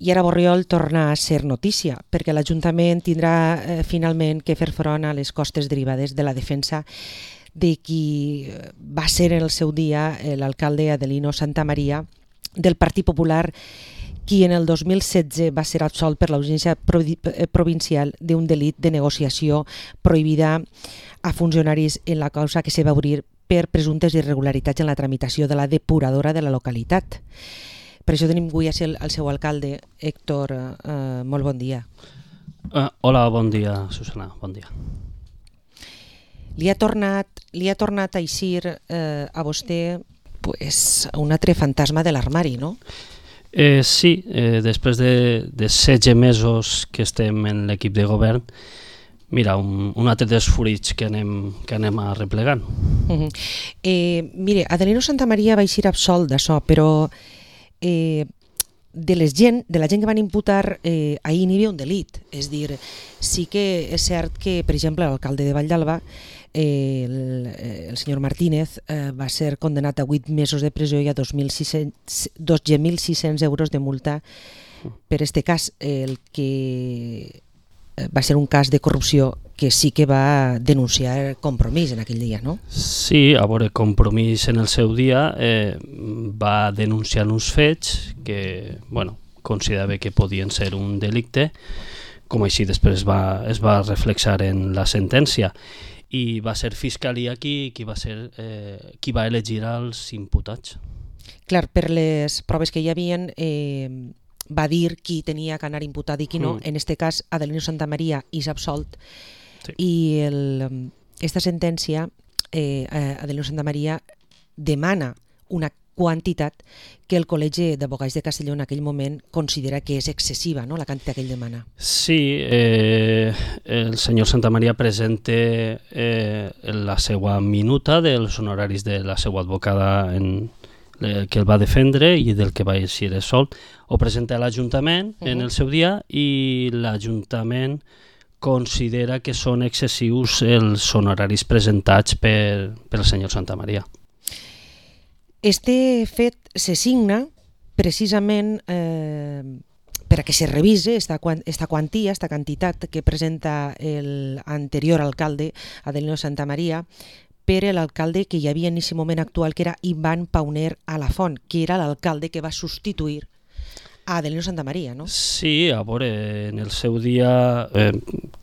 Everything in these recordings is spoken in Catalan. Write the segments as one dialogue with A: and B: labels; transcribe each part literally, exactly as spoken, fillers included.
A: i ara Borriol torna a ser notícia, perquè l'Ajuntament tindrà eh, finalment que fer front a les costes derivades de la defensa de qui va ser en el seu dia l'alcalde Adelino Santamaría del Partit Popular, qui en el dos mil setze va ser absolt per l'Audiència Provincial d'un delit de negociació prohibida a funcionaris en la causa que se va obrir per presumptes irregularitats en la tramitació de la depuradora de la localitat. Per això tenim avui el, el seu alcalde, Héctor, eh, molt bon dia.
B: Uh, hola, bon dia, Susana, bon dia.
A: Li ha tornat, li ha tornat a eixir eh, a vostè pues, un altre fantasma de l'armari, no?
B: Eh, sí, eh, després de, de setze mesos que estem en l'equip de govern, mira, un, un altre dels fruits que anem, que anem arreplegant.
A: Uh-huh. eh, mire, Adelino Santamaría va eixir absolt d'això, però eh, de, les gent, de la gent que van imputar eh, ahir n'hi havia un delit. És dir, sí que és cert que, per exemple, l'alcalde de Vall d'Alba, eh, el, el senyor Martínez, eh, va ser condenat a vuit mesos de presó i a dos mil sis-cents euros de multa per este cas, el que va ser un cas de corrupció que sí que va denunciar Compromís en aquell dia, no?
B: Sí, a veure, Compromís en el seu dia eh, va denunciar uns fets que, bueno, considerava que podien ser un delicte, com així després va, es va reflexar en la sentència, i va ser Fiscalia qui, qui, va, ser, eh, qui va elegir els imputats.
A: Clar, per les proves que hi havien, eh, va dir qui tenia que anar imputat i qui no. Mm. En este cas, Adelino Santamaría és absolt. Sí. I el, esta sentència, eh, Adelino Santamaría demana una quantitat que el Col·legi d'Advocats de Castelló en aquell moment considera que és excessiva, no?, la quantitat que ell demana.
B: Sí, eh, el senyor Santamaría presenta eh, la seva minuta dels honoraris de la seva advocada en, eh, que el va defendre i del que va eixir solt. Ho presenta a l'Ajuntament uh-huh. en el seu dia i l'Ajuntament considera que són excessius els honoraris presentats per, per el senyor Santamaría.
A: Este fet se signa precisament eh, per a que se revise esta, esta quantia, esta quantitat que presenta l'anterior alcalde, Adelino Santamaría, per l'alcalde que hi havia en aquest moment actual, que era Ivan Pauner Alafont, que era l'alcalde que va substituir a Adelino Santamaría, no?
B: Sí, a veure, en el seu dia, eh,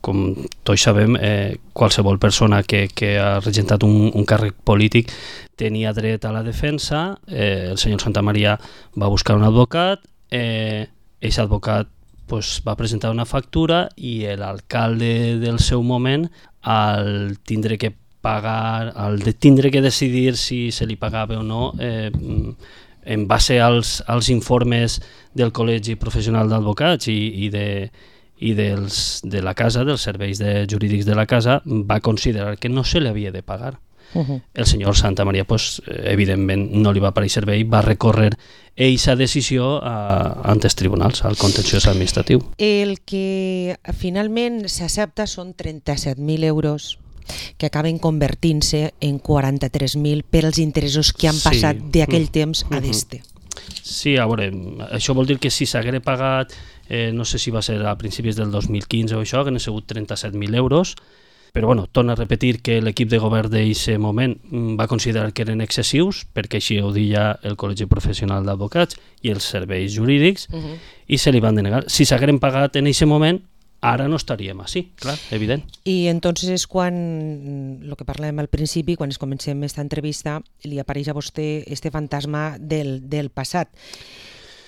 B: com tots sabem, eh, qualsevol persona que, que ha regentat un, un càrrec polític tenia dret a la defensa. Eh, el senyor Santamaría va buscar un advocat, eh, aquest advocat pues, va presentar una factura i l'alcalde del seu moment, al tindre que pagar, al de tindre que decidir si se li pagava o no, eh, en base als, als informes del Col·legi Professional d'Advocats i, i, de, i dels, de la casa, dels serveis de, jurídics de la casa, va considerar que no se li havia de pagar. Uh-huh. El senyor Santamaría, pues, evidentment, no li va aparèixer bé i va recórrer aquesta decisió a, ante els tribunals, al contenciós administratiu.
A: El que finalment s'accepta són trenta-set mil euros que acaben convertint-se en quaranta-tres mil per als interessos que han passat sí. d'aquell temps a d'este.
B: Sí, a veure, això vol dir que si s'haguera pagat, eh, no sé si va ser a principis del dos mil quinze o això, que n'ha sigut trenta-set mil euros, però bueno, torna a repetir que l'equip de govern d'aquest moment va considerar que eren excessius, perquè així ho deia el Col·legi Professional d'Advocats i els serveis jurídics, uh-huh. i se li van denegar. Si s'hagueren pagat en aquest moment, ara no estaríem així, clar, evident.
A: I entonces és quan, el que parlem al principi, quan es comencem aquesta entrevista, li apareix a vostè este fantasma del, del passat.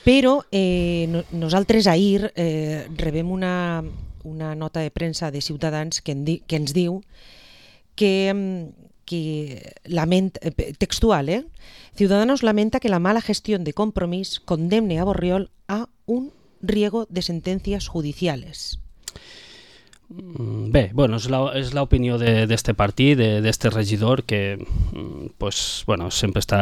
A: Però eh, no, nosaltres ahir eh, rebem una, una nota de premsa de Ciutadans que, en di, que ens diu que, que lament, textual, eh? Ciudadanos lamenta que la mala gestión de Compromís condemne a Borriol a un riego de sentencias judiciales.
B: Bé, bueno, és l'opinió d'aquest partit, d'aquest regidor, que pues, bueno, sempre està,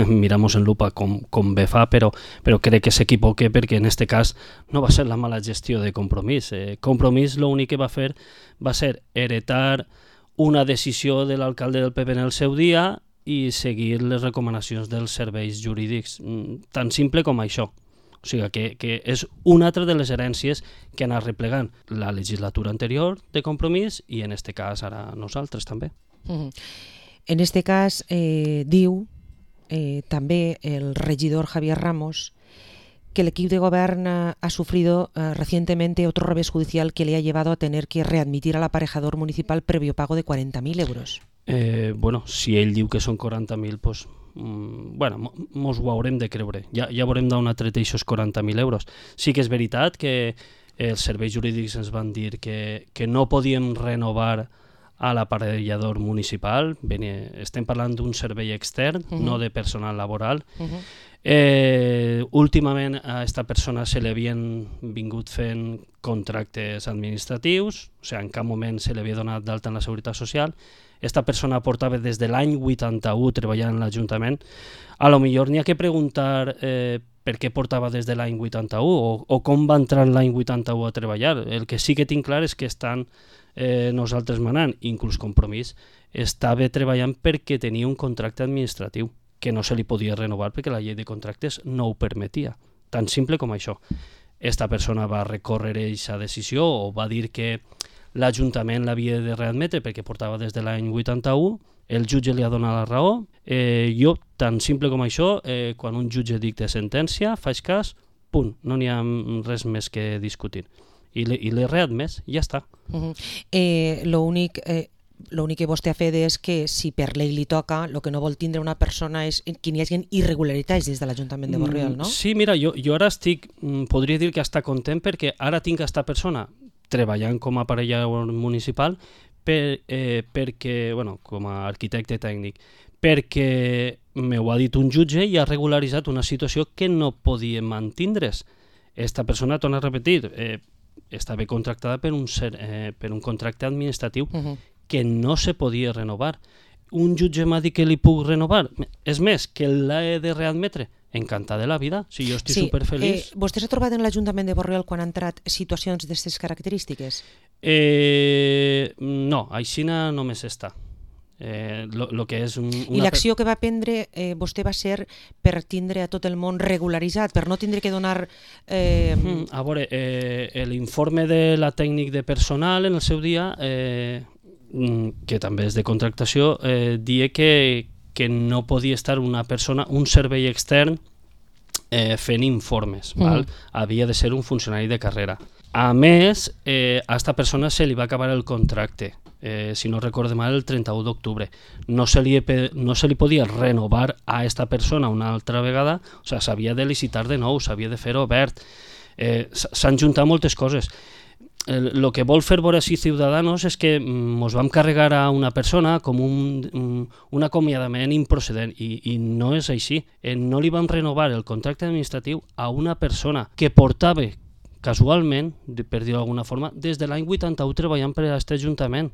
B: miramos en lupa com, com bé fa, però, però crec que s'equivoca perquè en aquest cas no va ser la mala gestió de Compromís. Eh, Compromís l'únic que va fer va ser heretar una decisió de l'alcalde del P P en el seu dia i seguir les recomanacions dels serveis jurídics, tan simple com això. O sigui que, que és una altra de les herències que ha anat replegant la legislatura anterior de Compromís i en este cas ara nosaltres també.
A: Uh-huh. En este cas eh, diu eh, també el regidor Javier Ramos que el equipo de gobierno ha sufrido uh, recientemente otro revés judicial que le ha llevado a tener que readmitir al aparejador municipal previo pago de cuarenta mil euros.
B: Eh, bueno, si ell diu que són quaranta mil, pues, mm, bueno, mos ho haurem de creure. Ja, ja veurem d'on ha tret aquests quaranta mil euros. Sí que és veritat que els serveis jurídics ens van dir que, que no podíem renovar a l'aparellador municipal. Ben, estem parlant d'un servei extern, uh-huh. no de personal laboral. Uh-huh. Eh, últimament a aquesta persona se li havien vingut fent contractes administratius, o sigui, en cap moment se li havia donat d'alta en la Seguretat Social. Esta persona portava des de l'any vuitanta-u treballant en l'Ajuntament. A lo millor n'hi ha que preguntar eh, per què portava des de l'any vuitanta-u o, o com va entrar l'any vuitanta-u a treballar. El que sí que tinc clar és que estan eh, nosaltres manant, inclús Compromís, estava treballant perquè tenia un contracte administratiu que no se li podia renovar perquè la llei de contractes no ho permetia. Tan simple com això. Esta persona va recórrer aquesta decisió o va dir que l'Ajuntament l'havia de readmetre perquè portava des de l'any vuitanta-u, el jutge li ha donat la raó. Eh, jo, tan simple com això, eh, quan un jutge dicta sentència, faig cas, punt, no n'hi ha res més que discutir. I l'he readmès, ja està.
A: Uh-huh. Eh, lo únic... Eh... L'únic que vostè ha fet és que si per llei li toca, el que no vol tindre una persona és que n'hi hagi irregularitats des de l'Ajuntament de Borriol, no?
B: Sí, mira, jo, jo ara estic, podria dir que està content perquè ara tinc aquesta persona treballant com a aparellador municipal per, eh, perquè, bueno, com a arquitecte tècnic, perquè m'ho ha dit un jutge i ha regularitzat una situació que no podíem mantindre's. Esta persona, torna a repetir, eh, estava contractada per un, ser, eh, per un contracte administratiu uh-huh. que no se podia renovar. Un jutge m'ha dit que li puc renovar. És més, que l'he de readmetre. Encantada de la vida, si jo estic sí, superfeliç.
A: Eh, vostè s'ha trobat en l'Ajuntament de Borriol quan han entrat situacions d'aquestes característiques?
B: Eh, no, aixina només està. Eh, lo, lo que és un, una...
A: I l'acció que va prendre eh, vostè va ser per tindre a tot el món regularitzat, per no tindre que donar... Eh...
B: Mm, a veure, eh, l'informe de la tècnic de personal en el seu dia... Eh, que també és de contractació, eh, dia que, que no podia estar una persona, un servei extern eh, fent informes, mm. val? Havia de ser un funcionari de carrera. A més, eh, a aquesta persona se li va acabar el contracte, eh, si no recorde mal, el trenta-u d'octubre. No se li, no se li podia renovar a aquesta persona una altra vegada, o sigui, s'havia de licitar de nou, s'havia de fer obert, eh, s'han juntat moltes coses. El que vol fer veure així Ciudadanos és que ens vam carregar a una persona com un, un, un acomiadament improcedent i, i no és així. Eh, no li vam renovar el contracte administratiu a una persona que portava casualment, per dir-ho d'alguna forma, des de l'any vuitanta-u treballant per a aquest Ajuntament.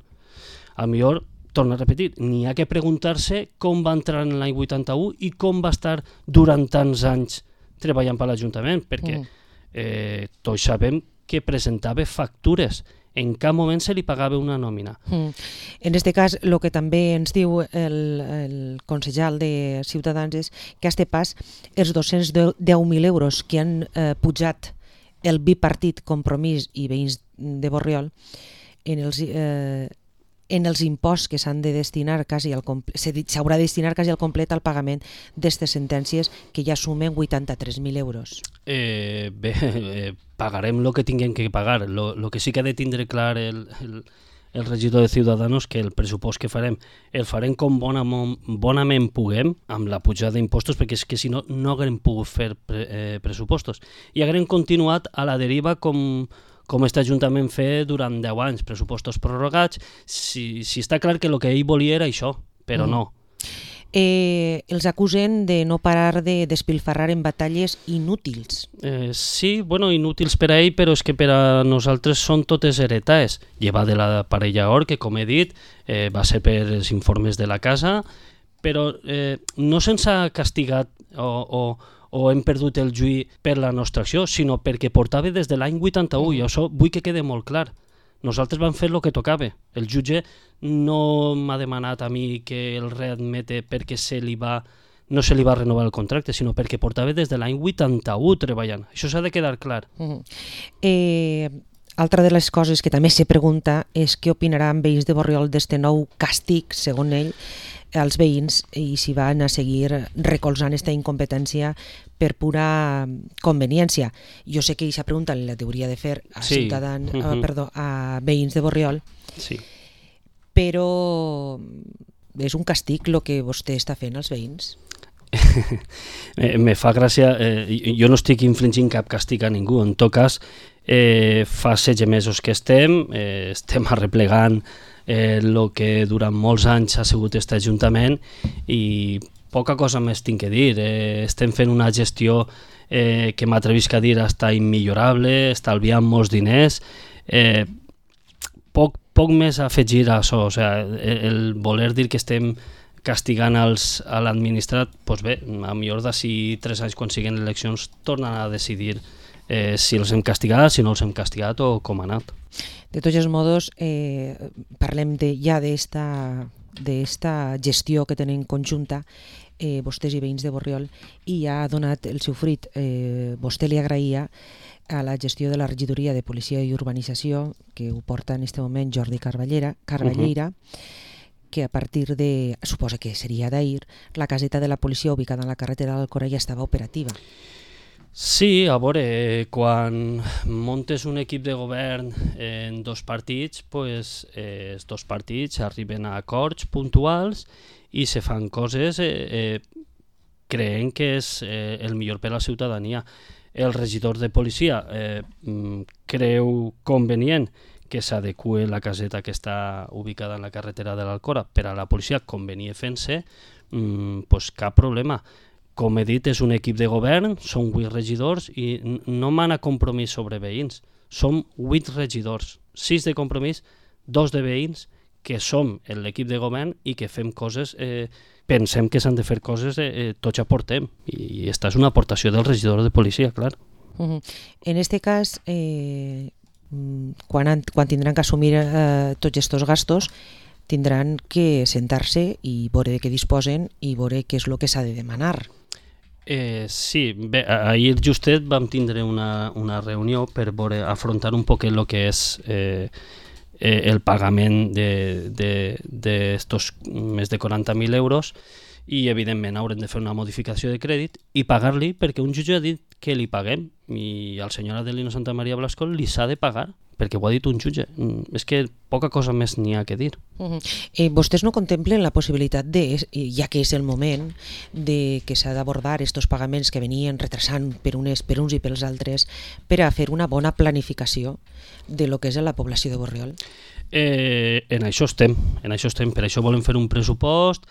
B: A millor, torno a repetir, n'hi ha que preguntar-se com va entrar en l'any vuitanta-u i com va estar durant tants anys treballant per l'Ajuntament, perquè eh, tots sabem que presentava factures. En cap moment se li pagava una nòmina.
A: Mm. En aquest cas, el que també ens diu el, el consellal de Ciutadans és que a este pas els dos-cents deu mil euros que han eh, pujat el bipartit Compromís i Veïns de Borriol en els, eh, en els imposts que s'han de destinar quasi al complet, s'haurà de destinar quasi al complet al pagament d'aquestes sentències que ja sumen vuitanta-tres mil euros.
B: Eh, bé, eh, pagarem el que tinguem que pagar. El que sí que ha de tindre clar el, el, el regidor de Ciudadanos que el pressupost que farem el farem com bonament, bonament puguem amb la pujada d'impostos, perquè és que si no, no haguem pogut fer pre, eh, pressupostos i haguem continuat a la deriva com com aquest Ajuntament fer durant deu anys, pressupostos prorrogats, si, si està clar que el que ell volia era això, però mm. no.
A: Eh, els acusen de no parar de despilfarrar en batalles inútils.
B: Eh, sí, bueno, inútils per a ell, però és que per a nosaltres són totes heretades. Lleva de la parella Or, que com he dit, eh, va ser per els informes de la casa, però eh, no se'ns ha castigat o... o o hem perdut el juí per la nostra acció, sinó perquè portava des de l'any vuitanta-u, i això vull que quede molt clar. Nosaltres vam fer el que tocava. El jutge no m'ha demanat a mi que el readmete perquè se li va no se li va renovar el contracte, sinó perquè portava des de l'any vuitanta-u treballant. Això s'ha de quedar clar.
A: Uh-huh. eh, altra de les coses que també se pregunta és què opinaran veïns de Borriol d'este nou càstig, segons ell, als veïns, i si van a seguir recolzant aquesta incompetència per pura conveniència. Jo sé que aquesta pregunta la hauria de fer a,
B: sí.
A: ciutadans,
B: uh-huh.
A: uh, perdó, a veïns de Borriol,
B: sí.
A: però és un càstig el que vostè està fent als veïns?
B: Me fa gràcia, eh, jo no estic infringint cap càstig a ningú, en tot cas eh, fa setze mesos que estem, eh, estem arreplegant el eh, que durant molts anys ha sigut aquest Ajuntament i poca cosa més tinc que dir. Eh, estem fent una gestió eh, que m'atrevisc a dir està immillorable, estalviant molts diners, eh, poc, poc més a afegir a això. O sigui, el voler dir que estem castigant als, a l'administrat, doncs bé, a millor d'ací tres anys quan siguin eleccions tornen a decidir eh, si els hem castigat, si no els hem castigat o com ha anat.
A: De tots els modos, eh, parlem de, ja d'esta gestió que tenen conjunta eh, vostès i veïns de Borriol, i ja ha donat el seu fruit. Eh, vostè li agraïa a la gestió de la regidoria de Policia i Urbanització, que ho porta en aquest moment Jordi Carballeira, Carballeira uh-huh. que a partir de, suposa que seria d'ahir, la caseta de la policia ubicada en la carretera d'Alcora ja estava operativa.
B: Sí, a veure, quan montes un equip de govern en dos partits, pues, eh, els dos partits arriben a acords puntuals i se fan coses eh, eh, creient que és eh, el millor per a la ciutadania. El regidor de policia eh, creu convenient que s'adeqüe la caseta que està ubicada en la carretera de l'Alcora per a la policia convenia fent-se, mmm, pues cap problema. Com he dit, és un equip de govern, són vuit regidors i no mana compromís sobre veïns. Som vuit regidors, sis de compromís, dos de veïns, que som l'equip de govern i que fem coses, eh, pensem que s'han de fer coses, eh, eh, tots aportem. I aquesta és una aportació del regidor de policia, clar.
A: Uh-huh. En este cas, eh, quan, han, quan tindran que assumir eh, tots aquests gastos, tindran que sentar-se i veure de què disposen i veure què és el que s'ha de demanar.
B: Eh, sí, bé, ahir justet vam tindre una, una reunió per veure, afrontar un poc el que és eh, eh, el pagament d'estos més de quaranta mil euros i evidentment haurem de fer una modificació de crèdit i pagar-li perquè un jutge ha dit que li paguem i al senyor Adelino Santa Maria Blasco li s'ha de pagar perquè ho ha dit un jutge. És que poca cosa més n'hi ha que dir.
A: Uh-huh. eh, vostès no contemplen la possibilitat, de, ja que és el moment, de que s'ha d'abordar aquests pagaments que venien retrasant per, unes, per uns i pels altres per a fer una bona planificació de lo que és la població de Borriol?
B: Eh, en això estem, en això estem, per això volem fer un pressupost,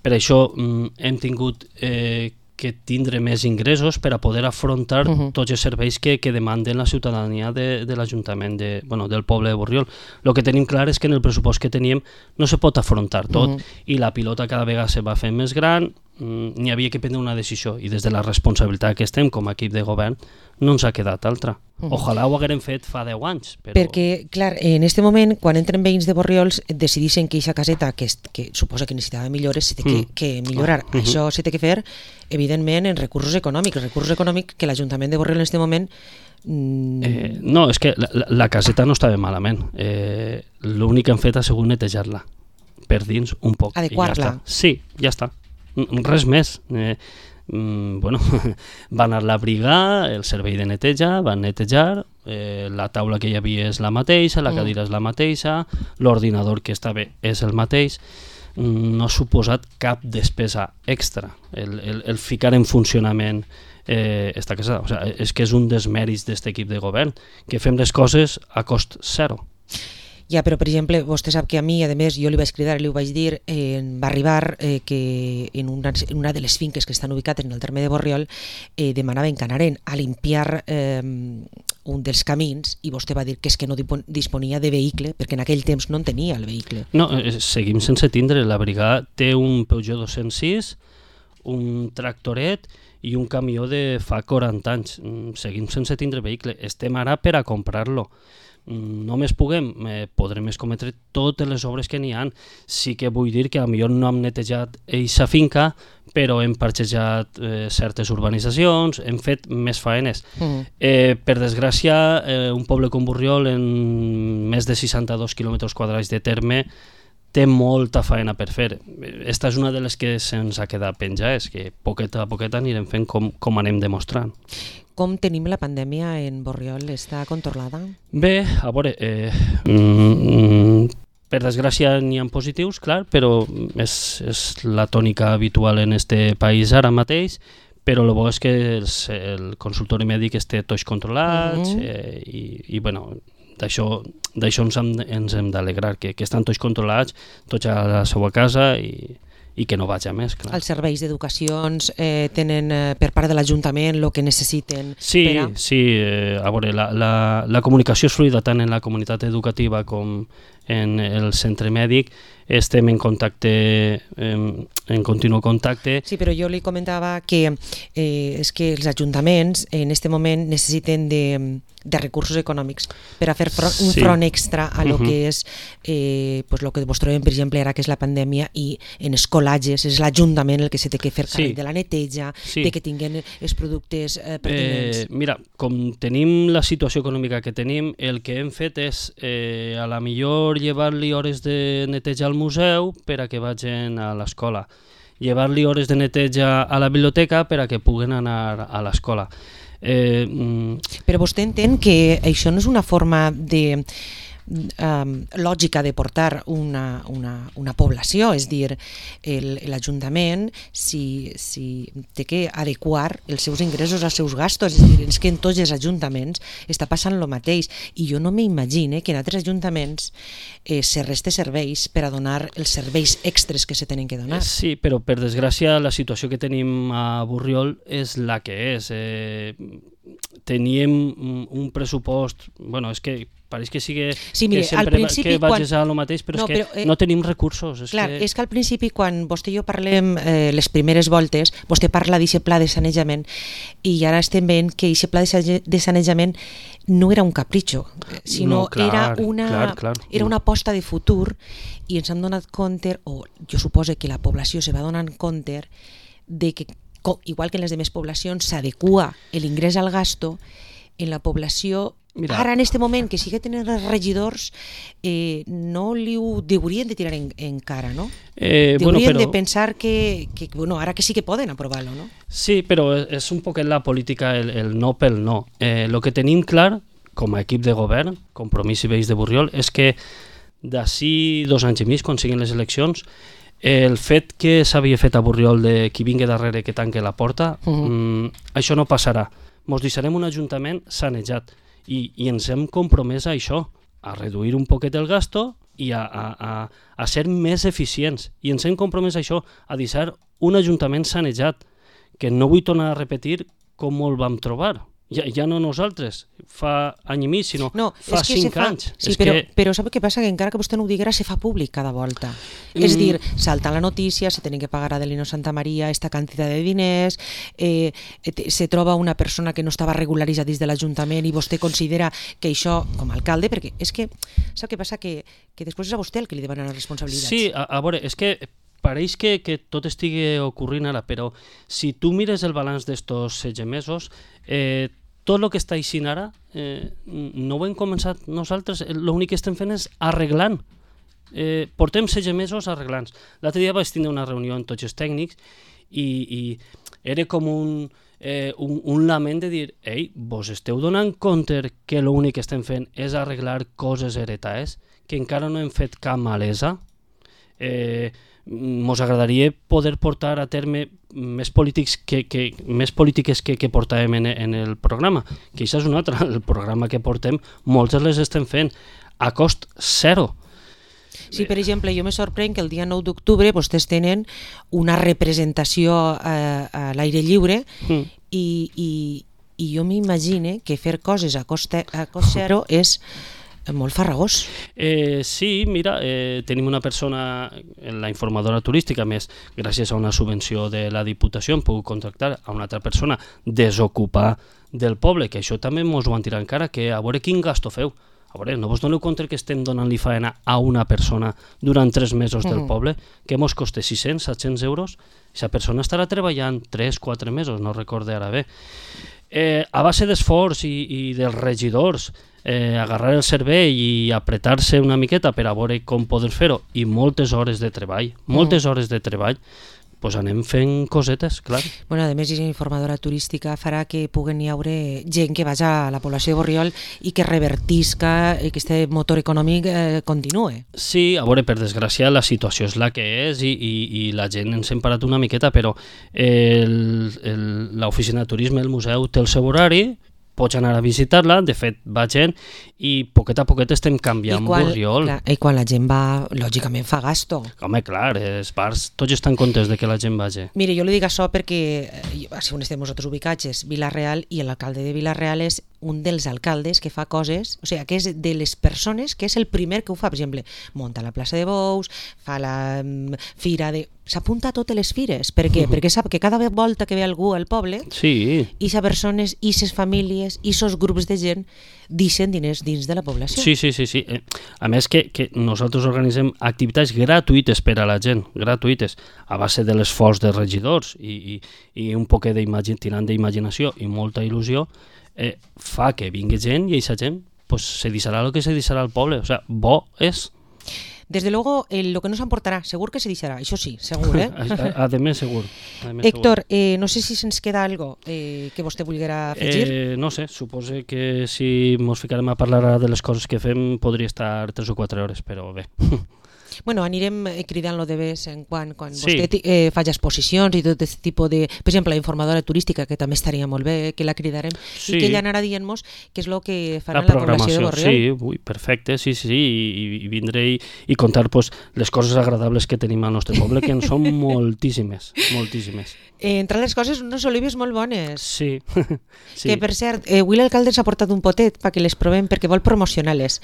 B: per això mm, hem tingut eh, que tindre més ingressos per a poder afrontar uh-huh. tots els serveis que, que demanden la ciutadania de, de l'Ajuntament, de, bueno, del poble de Borriol. El que tenim clar és que en el pressupost que teníem no se pot afrontar tot uh-huh. i la pilota cada vegada se va fent més gran, n'hi havia que prendre una decisió i des de la responsabilitat que estem com a equip de govern no ens ha quedat altra. Uh-huh. Ojalà ho haguérem fet fa deu anys. Però...
A: Perquè, clar, en aquest moment, quan entren veïns de Borriols, decidissin que aquesta caseta, que, que suposa que necessitava millores, se té que, mm. que millorar. Uh-huh. Això s'ha de fer, evidentment, en recursos econòmics. Recursos econòmics que l'Ajuntament de Borriol en aquest moment... Mm...
B: Eh, no, és que la, la caseta no estava malament. Eh, L'únic que han fet ha sigut netejar-la per dins un poc.
A: Adequar-la.
B: Ja sí, ja està. Res més. Eh, mm, bueno, va anar la briga, el servei de neteja, van netejar, eh, la taula que hi havia és la mateixa, la cadira mm. és la mateixa, l'ordinador que estava és el mateix, no ha suposat cap despesa extra el, el, el ficar en funcionament eh, esta casa. O sea, és que és un dels mèrits d'aquest equip de govern, que fem les coses a cost zero.
A: Ja, però per exemple, vostè sap que a mi, a més, jo li vaig cridar i li ho vaig dir, eh, va arribar eh, que en una, en una de les finques que estan ubicades en el terme de Borriol eh, demanaven que anaren a limpiar eh, un dels camins i vostè va dir que és que no disponia de vehicle perquè en aquell temps no en tenia el vehicle.
B: No, eh, seguim sense tindre. La brigada té un Peugeot dos cents sis, un tractoret i un camió de fa quaranta anys. Seguim sense tindre vehicle. Estem ara per a comprar-lo. Només puguem, eh, podrem escometre totes les obres que n'hi ha. Sí que vull dir que potser no hem netejat eixa finca, però hem parxejat eh, certes urbanitzacions, hem fet més faenes. Mm. Eh, per desgràcia, eh, un poble com Borriol, en més de seixanta-dos quilòmetres quadrats de terme, té molta faena per fer. Esta és una de les que se'ns ha quedat penjades, que poqueta a poqueta anirem fent com, com anem demostrant.
A: Com tenim la pandèmia en Borriol? Està controlada?
B: Bé, a veure, eh, mm, per desgràcia n'hi ha positius, clar, però és, és la tònica habitual en este país ara mateix, però el bo és que el, el consultori mèdic esté tots controlats, mm-hmm. eh, i, i bueno, d'això d'això ens hem, ens hem d'alegrar, que, que estan tots controlats, tots a la seva casa i, i que no vaig a més. Clar.
A: Els serveis d'educacions eh, tenen eh, per part de l'Ajuntament el que necessiten?
B: Sí,
A: per a...
B: sí, eh, a veure, la, la, la comunicació és fluida tant en la comunitat educativa com en el centre mèdic. Estem en contacte, en, en continu contacte.
A: Sí, però jo li comentava que eh, és que els ajuntaments en aquest moment necessiten de, de recursos econòmics per a fer front, un
B: sí.
A: front extra a lo
B: uh-huh.
A: que és eh, pues lo que vos trobem, per exemple, ara que és la pandèmia, i en escolatges és l'Ajuntament el que se té que fer càrrec sí. de la neteja, sí. de que tinguin els productes eh, pertinents.
B: Eh, mira, com tenim la situació econòmica que tenim, el que hem fet és eh, a la millor llevar-li hores de neteja al museu per a que vagin a l'escola, llevar-li hores de neteja a la biblioteca per a que puguen anar a l'escola. Eh, mm...
A: Però vostè entén que això no és una forma de um, lògica de portar una, una, una població, és dir, l'Ajuntament si, si té que adequar els seus ingressos als seus gastos, és dir, és que en tots els ajuntaments està passant el mateix, i jo no m'imagine que en altres ajuntaments eh, se reste serveis per a donar els serveis extres que se tenen que donar.
B: Sí, però per desgràcia la situació que tenim a Borriol és la que és. Eh, teníem un pressupost, bueno, és que pareix que sigui
A: sí, mire,
B: que sempre que vagis
A: quan...
B: a lo mateix, però no, és que però, eh, no tenim recursos. És
A: clar,
B: que...
A: és que al principi, quan vostè i jo parlem eh, les primeres voltes, vostè parla d'aquest pla de sanejament, i ara estem veient que aquest pla de sanejament no era un capritxo, sinó
B: no, clar,
A: era una
B: clar, clar.
A: era una aposta de futur, i ens hem donat compte, o jo suposo que la població se va donant compte de que, igual que en les demés poblacions, s'adequa l'ingrés al gasto, en la població Mira. Ara en aquest moment que sigue tenint els regidors eh, no li ho deurien de tirar en, en cara, no? Eh, deurien bueno, però... de pensar que, que bueno, ara que sí que poden aprovar-lo, no?
B: Sí, però és un poc la política el, el no pel no. Eh, lo que tenim clar com a equip de govern, Compromís i Veïns de Borriol, és que d'ací dos anys i mig, quan siguin les eleccions, el fet que s'havia fet a Borriol de qui vingui darrere que tanque la porta, uh-huh. mm, això no passarà. Mos deixarem un ajuntament sanejat. I, i ens hem compromès a això, a reduir un poquet el gasto i a, a, a, a ser més eficients. I ens hem compromès a això, a deixar un ajuntament sanejat, que no vull tornar a repetir com el vam trobar. Ja, ja no nosaltres, fa any i mig, sinó
A: no,
B: fa cinc fa... anys.
A: Sí, és però, que... però sap què passa? Que encara que vostè no ho diguera, se fa públic cada volta. Mm. És dir, salta la notícia, se tenen que pagar a Adelino Santa Maria esta quantitat de diners, eh, se troba una persona que no estava regularitzada dins de l'Ajuntament i vostè considera que això, com a alcalde, perquè és que, sap què passa? Que, que després és a vostè el que li demanen les responsabilitats.
B: Sí, a, a veure, és que pareix que, que tot estigui ocorrint ara, però si tu mires el balanç d'estos setze mesos, eh, tot el que està aixint ara eh, no ho hem començat nosaltres, l'únic que estem fent és arreglant. Eh, portem setze mesos arreglant. L'altre dia vaig tindre una reunió amb tots els tècnics i, i era com un, eh, un, un lament de dir ei, vos esteu donant compte que l'únic que estem fent és arreglar coses heretades, que encara no hem fet cap malesa? Eh, mos agradaria poder portar a terme més polítics que, que, més polítiques que, que portàvem en, en el programa, que això és un altre, el programa que portem moltes les estem fent a cost zero.
A: Sí, per exemple, jo me sorprèn que el dia nou d'octubre vostès tenen una representació eh, a l'aire lliure mm. i, i, i jo m'imagine que fer coses a cost, a cost zero és molt farragós.
B: Eh, sí, mira, eh, tenim una persona, la informadora turística, més gràcies a una subvenció de la Diputació hem pogut contractar a una altra persona, desocupar del poble, que això també ens ho han tirat encara, que a veure quin gasto feu. A veure, no vos doneu compte que estem donant-li faena a una persona durant tres mesos del poble, que mos costa sis-cents, set-cents euros, i aquesta persona estarà treballant tres quatre mesos, no recorde ara bé. Eh, a base d'esforç i, i dels regidors, eh, agarrar el cervell i apretar-se una miqueta per a veure com poder fer-ho, i moltes hores de treball, moltes hores de treball, pues anem fent cosetes, clar.
A: Bueno, a més, aquesta informadora turística farà que puguen hi haure gent que vagi a la població de Borriol i que revertisca i que aquest motor econòmic eh, continue.
B: Sí, a veure, per desgràcia la situació és la que és i, i, i la gent ens hem parat una miqueta, però l'oficina de turisme, el museu, té el seu horari, pots anar a visitar-la, de fet va gent i poquet a poquet estem canviant Borriol.
A: Clar, I quan la gent va, lògicament fa gasto.
B: Home, clar, els bars tots estan contents de que la gent vagi.
A: Mire, jo li dic això perquè, si on estem nosaltres ubicats, és Vila-real i l'alcalde de Vila-real és un dels alcaldes que fa coses, o sigui, que és de les persones que és el primer que ho fa, per exemple, munta la plaça de Bous, fa la um, fira de... S'apunta a totes les fires. Per què? Uh -huh. Perquè sap que cada volta que ve algú al poble,
B: sí.
A: i sa persones, i ses famílies, i sos grups de gent deixen diners dins de la població.
B: Sí, sí, sí. sí. A més que, que nosaltres organitzem activitats gratuïtes per a la gent, gratuïtes, a base de l'esforç dels regidors i, i, i un poc tirant d'imaginació i molta il·lusió, eh, fa que vingui gent i aquesta gent pues, se deixarà el que se deixarà al poble. O sea, bo és...
A: Desde luego, eh, lo que nos aportará, segur que se deixarà, això sí, segur, eh?
B: Ademés, segur. Ademés,
A: Héctor, eh, no sé si se'ns queda algo eh, que vostè volguera afegir.
B: Eh, no sé, suposo que si ens ficarem a parlar de les coses que fem podria estar tres o quatre hores, però bé.
A: Bueno, anirem cridant-lo de vez en quan, quan
B: sí.
A: vostè eh, faci exposicions i tot aquest tipus de... Per exemple, la informadora turística, que també estaria molt bé, que la cridarem, sí. i que ella anarà dient-nos què és el que farà la, la població de Borriol.
B: Sí, ui, perfecte, sí, sí, sí, i, i vindré i, i contar pues, les coses agradables que tenim al nostre poble, que en són moltíssimes, moltíssimes.
A: Eh, entre les coses, unes olives molt bones.
B: Sí. sí.
A: Que, per cert, eh, avui l'alcalde ens ha portat un potet perquè les provem, perquè vol promocionar-les.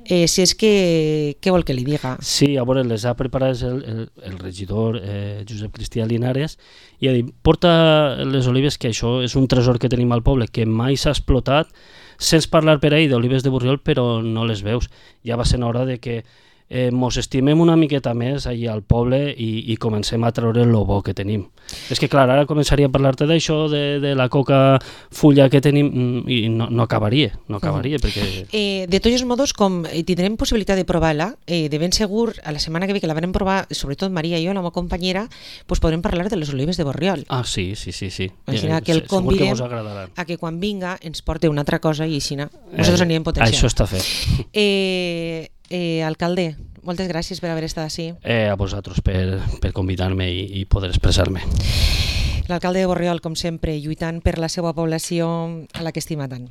A: Eh, si és que... Què vol que li diga?
B: Sí, a veure, les ha preparat el, el, el regidor eh, Josep Cristià Linares i ha dit, porta les olives, que això és un tresor que tenim al poble, que mai s'ha explotat. Sents parlar per ahir d'olives de Borriol, però no les veus. Ja va ser hora de que eh, mos estimem una miqueta més allà al poble i, i comencem a treure el bo que tenim. És que, clar, ara començaria a parlar-te d'això, de, de la coca fulla que tenim, i no, no acabaria, no acabaria, uh-huh. perquè...
A: Eh, de tots els modos, com tindrem possibilitat de provar-la, eh, de ben segur, a la setmana que ve, que la vam provar, sobretot Maria i jo, la meva companyera, pues podrem parlar de les olives de Borriol.
B: Ah, sí, sí, sí. sí.
A: Així
B: eh,
A: que el convidem
B: que
A: a que quan vinga ens porte una altra cosa i així nosaltres eh, anirem potenciant.
B: Això està fet.
A: Eh, eh, alcalde, moltes gràcies per haver estat així.
B: Eh, a vosaltres per, per convidar-me i, i poder expressar-me.
A: L'alcalde de Borriol, com sempre, lluitant per la seva població a la que estima tant.